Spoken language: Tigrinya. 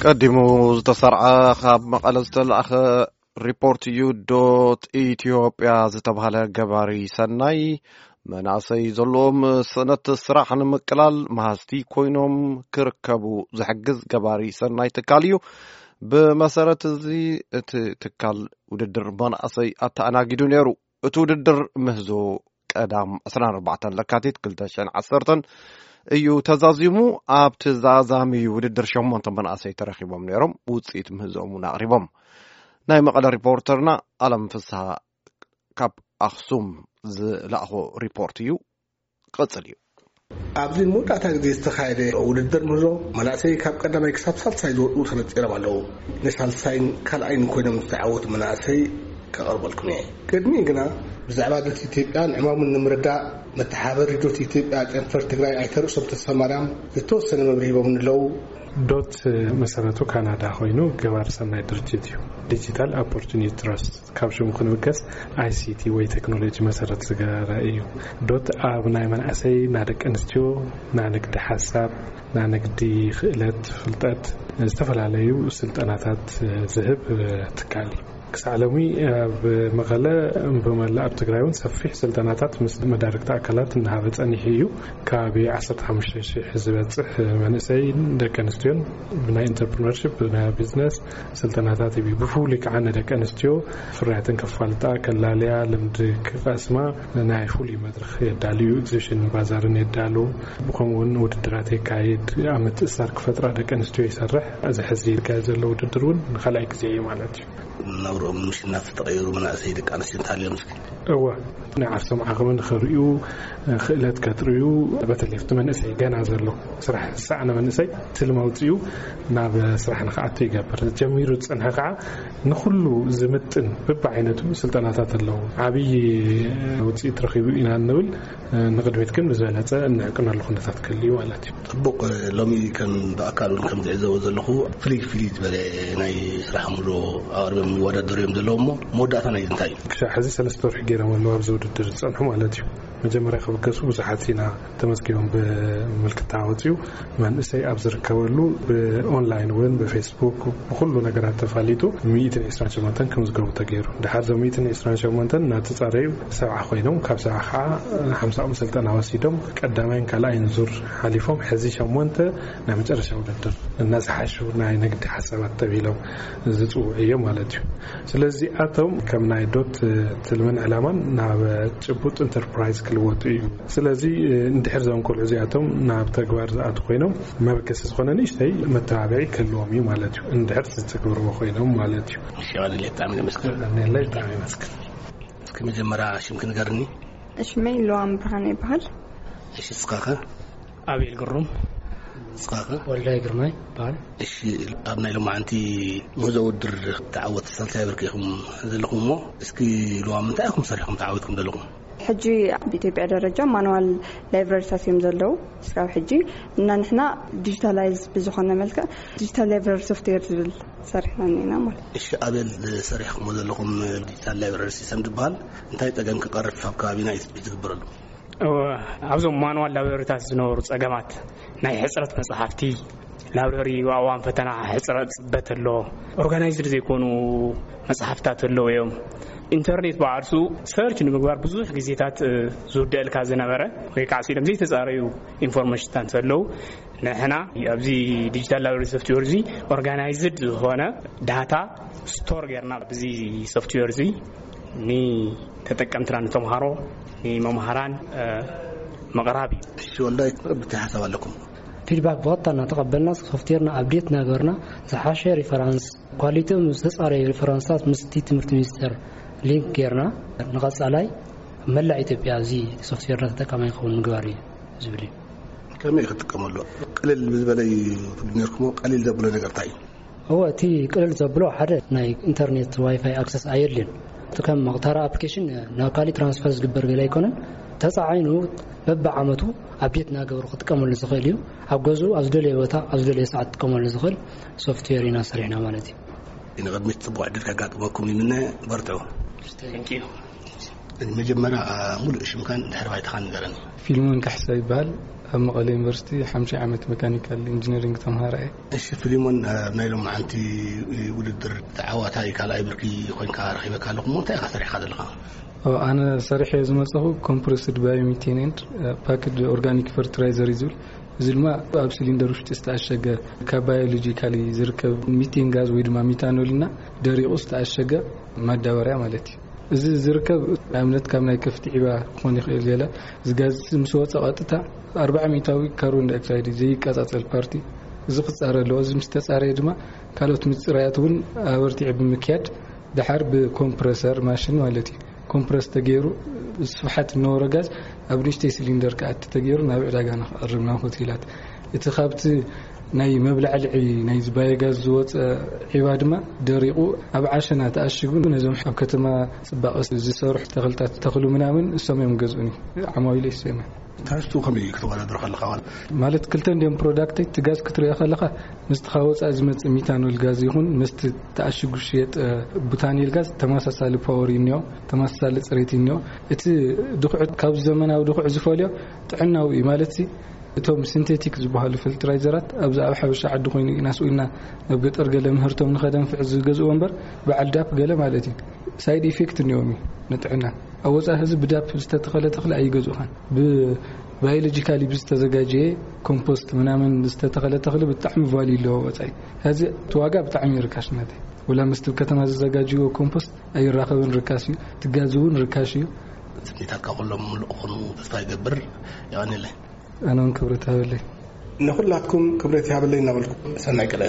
ቀዲሙ ዝተሰርዐ ካብ መቐለ ዝተላእኸ ሪፖርት እዩ። ዶት ኢትዮጵያ ዝተባህለ ገባሪ ሰናይ መናእሰይ ዘለዎም ስእነት ስራሕ ንምቅላል መሃዝቲ ኮይኖም ክርከቡ ዝሕግዝ ገባሪ ሰናይ ትካል እዩ። ብመሰረት እዚ እቲ ትካል ውድድር መናእሰይ ኣተኣናጊዱ ነይሩ። እቲ ውድድር ምህዞ ቀዳም ዕስራን ኣርባዕተን ለካቲት ክልተ ሽሕን ዓሰርተን እዩ ተዛዚሙ። ኣብቲ ዛዛሚ ውድድር ሸሞንተ መናእሰይ ተረኺቦም ነይሮም፣ ውፅኢት ምህዞኦም እውን ኣቕሪቦም። ናይ መቐለ ሪፖርተርና ኣለም ፍስሃ ካብ ኣኽሱም ዝለኣኾ ሪፖርት እዩ። ቀጽል እዩ። ኣብዚ መወዳእታ ግዜ ዝተኻየደ ውድድር ምህዞ መናእሰይ ካብ ቀዳማይ ክሳብ ሳልሳይ ዝወጡ ተነጺሮም ኣለዉ። ንሳልሳይን ካልኣይን ኮይኖም ዝተዓወቱ መናእሰይ ከቐርበልኩም እየ። ቅድሚኡ ግና ብዛዕባ ዶት ኢትዮጵያን ዕማሙን ንምርዳእ መተሓበሪ ዶት ኢትዮጵያ ጨንፈር ትግራይ ኣይተ ርእሶም ተስፋማርያም ዝተወሰነ መብርሂ ሂቦምኒ ኣለዉ። ዶት መሰረቱ ካናዳ ኮይኑ ገባር ሰናይ ድርጅት እዩ። ዲጂታል ኦፖርቹኒቲ ትረስት ካብ ሽሙ ክንብገስ ኣይሲቲ ወይ ቴክኖሎጂ መሰረት ዝገበረ እዩ። ዶት ኣብ ናይ መናእሰይ፣ ናይ ደቂ ኣንስትዮ፣ ናይ ንግዲ ሓሳብ፣ ናይ ንግዲ ክእለት ፍልጠት ዝተፈላለዩ ስልጠናታት ዝህብ ትካል እዩ። ክሳዕ ሎሚ ኣብ መቐለ ብመላእ ኣብ ትግራይ እውን ሰፊሕ ስልጠናታት ምስ መዳርግቲ ኣካላት እናሃበ ጸኒሑ እዩ። ከባቢ ዓሰርተ ሓሙሽተ ሽሕ ዝበጽሕ መንእሰይን ደቂ ኣንስትዮን ብናይ ኢንተርፕርነርሽፕ፣ ብናይ ቢዝነስ ስልጠናታት ይህብ። ብፍሉይ ከዓ ንደቂ ኣንስትዮ ፍርያተን ከፋልጣ፣ ከላልያ፣ ልምዲ ክቐስማ ናይ ፍሉይ መድረኽ የዳልዩ። ኤግዚቢሽን ባዛርን የዳሉ። ብኸምኡ እውን ውድድራት የካይድ። ኣብ ምትእሳር ክፈጥራ ደቂ ኣንስትዮ ይሰርሕ። እዚ ሕዚ ይካየድ ዘሎ ውድድር እውን ንኻልኣይ ግዜ እዩ ማለት እዩ። ናብርኦም ምሽናፍ ዝተቐየሩ መናእሰይ ደቂ ኣንስትዮ እንተሃልዮም እስኪ? እወ፣ ናይ ዓርሶም ዓቕሚ ንኽርእዩ፣ ክእለት ከጥርዩ፣ በተለይ ኣብቲ መንእሰይ ገና ዘሎ ስራሕ ዝሰኣነ መንእሰይ ትልሚ ኣውፂኡ ናብ ስራሕ ንኽኣቱ ይገብር። ጀሚሩ ዝፀንሐ ከዓ ንኹሉ ዝምጥን በብዓይነቱ ስልጠናታት ኣለዉ። ዓብዪ ውፅኢት ረኺቡ ኢና እንብል። ንቕድሚት ግን ብዝበለፀ እንዕቅነሉ ኩነታት ክህሉ እዩ ማለት እዩ። ፅቡቕ። ሎሚ ከም ብኣካል እውን ከም ዝዕዘቦ ዘለኹ ፍልይ ፍልይ ዝበለ ናይ ስራሕ ምሎ ኣቕርቦም ይወዳደሩ እዮም ዘለዉ። እሞ መወዳእታ ናይ እንታይ እዩ? ክሳብ ሕዚ ሰለስተ ወርሒ ገይሮም ኣለዉ ኣብዚ ውድድር ዝፀንሑ ማለት እዩ። መጀመርያ ክብገሱ ብዙሓት ኢና ተመዝጊቦም ብምልክታ ወፂኡ መንእሰይ ኣብ ዝርከበሉ ብኦንላይን እውን ብፌስቡክ ብኩሉ ነገራት ተፋሊጡ ሚእትን ዕስራን ሸሞንተን ክምዝገቡ ተገይሩ። ድሓር እዞም ሚእትን ዕስራን ሸሞንተን እናተፃረዩ ሰብዓ ኮይኖም ካብ ሰብዓ ከዓ ሓምሳኦም ስልጠና ወሲዶም ቀዳማይን ካልኣይን ዙር ሓሊፎም ሕዚ ሸሞንተ ናይ መጨረሻ ውድድር እናዝሓሹ ናይ ንግዲ ሓሳባት ተቢሎም ዝፅውዑ እዮም ማለት እዩ። ስለዚ ኣቶም ከም ናይ ዶት ትልምን ዕላማን ናብ ጭቡጥ ኢንተርፕራይዝ ክልወጡ እዩ። ስለዚ እንድሕር እዞም ቆልዑ እዚኣቶም ናብ ተግባር ዝኣቱ ኮይኖም መበገሲ ዝኾነ ንእሽተይ መተባብዒ ክህልዎም እዩ ማለት እዩ። እንድሕር ዝተግብርዎ ኮይኖም ማለት እዩ። እሺ፣ ኣነ ብጣዕሚ የመስግን። ኣነ ብጣዕሚ የመስግን። እስኪ መጀመርያ ሽምኪ ንገርኒ። ሽመይ ሉዋም ብርሃን ይበሃል። እሺ፣ እስኻኸ? ኣቤል ግሩም። እስኻኸ? ወልዳይ ግርማይ ይበሃል። እሺ፣ ኣብ ናይ ሎማዓንቲ ምህዞ ውድድር ተዓወቲ ሳልሳይ ብርኪ ኢኹም ዘለኹም እሞ እስኪ ሉዋም እንታይ ኢኹም ሰሪሕኩም ተዓዊትኩም ዘለኹም? ሕጂ ኣብ ኢትዮጵያ ደረጃ ማኑዋል ላይብረሪታት እዮም ዘለዉ እስካብ ሕጂ እና ንሕና ዲጂታላይዝ ብዝኾነ መልክዕ ዲጂታል ላይብረሪ ሶፍትዌር ዝብል ሰሪሕና እኒና ማለት እዩ። እሺ ኣቤል ሰሪሕኩሞ ዘለኹም ዲጂታል ላይብረሪ ሲስተም ዝበሃል እንታይ ፀገም ክቐርፍ ኣብ ከባቢና እዩ ትፅቢት ዝግበረሉ? ኣብዞም ማኑዋል ላብረሪታት ዝነበሩ ፀገማት ናይ ሕፅረት መፅሓፍቲ ላብረሪ ኣብ እዋን ፈተና ሕፅረት ፅበት ኣሎ። ኦርጋናይዝድ ዘይኮኑ መፅሓፍታት ኣለዉ እዮም። ኢንተርኔት ብዓርሱ ሰርች ንምግባር ብዙሕ ግዜታት ዝውደአልካ ዝነበረ ወይ ከዓ ሲሎም ዘይተፃረዩ ኢንፎርሜሽንታት ኣለዉ። ንሕና ኣብዚ ዲጂታል ላብረሪ ሶፍትዌር እዚ ኦርጋናይዝድ ዝኾነ ዳታ ስቶር ጌርና ብዚ ሶፍትዌር እዚ ንተጠቀምትና ንተምሃሮ ንመምሃራን ምቕራብ እዩ። እሺ ወልዳይ ብታይ ሓሳብ ኣለኩም? ፊድባክ ብቐጥታ እናተቐበልና ሶፍትዌርና ኣብዴት እናገበርና ዝሓሸ ሪፈራንስ ኳሊቲኦም ዝተፃረዩ ሪፈራንስታት ምስቲ ትምህርቲ ሚኒስቴር ሊንክ ጌርና ንቐፃላይ መላእ ኢትዮጵያ እዚ ሶፍትዌርና ተጠቃማይ ክኸውን ምግባር እዩ ዝብል እዩ። ከመይ ክትጥቀመሉ ቅልል ብዝበለ እዩ ትብሉ ነርኩሞ ቀሊል ዘብሎ ነገር እንታይ እዩ? እወ እቲ ቅልል ዘብሎ ሓደ ናይ ኢንተርኔት ዋይፋይ ኣክሰስ ኣየድልዮን። እቲ ከም መቕታራ ኣፕሊኬሽን ናብ ካሊእ ትራንስፈር ዝግበር ገለ ኣይኮነን። ተፃዒኑ በብዓመቱ ኣፕዴት እናገበሩ ክጥቀመሉ ዝኽእል እዩ። ኣብ ገዝኡ ኣብ ዝደለየ ቦታ ኣብ ዝደለየ ሰዓት ክጥቀመሉ ዝኽእል ሶፍትዌር ኢና ሰሪሕና ማለት እዩ። ንቕድሚት ፅቡቕ ዕድል ከጋጥመኩም ይምነ። በርትዑ። መጀመርያ ሙሉእ ሽምካን ድሕሪ ባይታኻን ንገረኒ። ፊልሞን ካሕሳ ይበሃል። ኣብ መቐለ ዩኒቨርሲቲ ሓምሻይ ዓመት መካኒካል ኢንጂነሪንግ ተምሃራ እየ። እሺ ፊልሞን፣ ናይ ሎማዓንቲ ውድድር ተዓዋታይ ካልኣይ ብርኪ ኮይንካ ረኺበካ ኣለኹ። እንታይ ኢኻ ሰሪሕካ ዘለኻ? ኣነ ሰሪሐ ዝመፀኹ ኮምፕረስድ ባዮሚቴን ኤንድ ፓክድ ኦርጋኒክ ፈርትላይዘር እዩ ዝብል። እዚ ድማ ኣብ ሲሊንደር ውሽጢ ዝተኣሸገ ካብ ባዮሎጂካሊ ዝርከብ ሚቴን ጋዝ ወይ ድማ ሚታኖል እና ደሪቑ ዝተኣሸገ ማዳበርያ ማለት እዩ። እዚ ዝርከብ ኣብነት ካብ ናይ ከፍቲ ዒባ ክኾን ይኽእል። ገለ ዝጋዝ ምስ ወፀ ቀጥታ ኣርባዓ ሚእታዊ ካርቦን ዳይኦክሳይድ ዘይቀፃፀል ፓርቲ እዚ ክፃረ ኣለዎ። እዚ ምስ ተፃረየ ድማ ካልኦት ምፅራያት እውን ኣበርቲዑ ብምክያድ ደሓር ብኮምፕረሰር ማሽን ማለት እዩ ኮምፕረስ ተገይሩ ስፍሓት እነበሮ ጋዝ ኣብ ንእሽተይ ሲሊንደር ክኣቲ ተገይሩ ናብ ዕዳጋ ንክቐርብ ናብ ሆቴላት። እቲ ካብቲ ናይ መብላዕልዒ ናይ ባዮጋዝ ዝወፀ ዒባ ድማ ደሪቑ ኣብ ዓሸና ተኣሽጉ ነዞም ኣብ ከተማ ፅባቐ ዝሰርሑ ተኽልታት ተኽሉ ምናምን እሶም እዮም ገዝኡኒ። ዓማዊለ ይሰመ ትሕዝቱ ከመይ እዩ ክትወዳደር ከለኻ? ማለት ክልተ እንዲም ፕሮዳክት እቲ ጋዝ ክትሪኦ ከለኻ ምስቲ ካብ ወፃኢ ዝመፅእ ሚታኖል ጋዝ ይኹን ምስቲ ተኣሽጉ ሽየጥ ቡታኒል ጋዝ ተመሳሳሊ ፓወር ይኒኦ፣ ተመሳሳሊ ፅሬት ይኒኦ። እቲ ድኩዕ ካብ ዘመናዊ ድኩዕ ዝፈልዮ ጥዕናዊ እዩ ማለት ሲ እቶም ሲንቴቲክ ዝበሃሉ ፈርትላይዘራት ኣብዚ ኣብ ሓበሻ ዓዲ ኮይኑ ኢና ስኢልና ናብ ገጠር ገለ ምህርቶም ንኸደንፍዕ ዝገዝእዎ እምበር በዓል ዳፕ ገለ ማለት እዩ ሳይድ ኢፌክት እኒኦም እዩ ንጥዕና። ኣብ ወፃኢ ህዝቢ ብዳፕ ዝተተኸለ ተኽሊ ኣይገዝኡኻን። ብባዮሎጂካሊ ብዝተዘጋጀየ ኮምፖስት ምናምን ዝተተኸለ ተኽሊ ብጣዕሚ ቫልዩ ኣለዎ ወፃኢ። ሕዚ እቲ ዋጋ ብጣዕሚ እዩ ርካሽ ናተይ። ወላ ምስቲ ከተማ ዝዘጋጅዎ ኮምፖስት ኣይራኸብን፣ ርካሽ እዩ። ትጋዝ እውን ርካሽ እዩ። ስኒታትካ ኩሎም ምሉእ ክኾኑ ተስፋ ይገብር። የቐንየለይ። ኣነ እውን ክብረት ሃበለይ። ንኹላትኩም ክብረት ይሃበለይ እናበልኩ ሰናይ ቀለ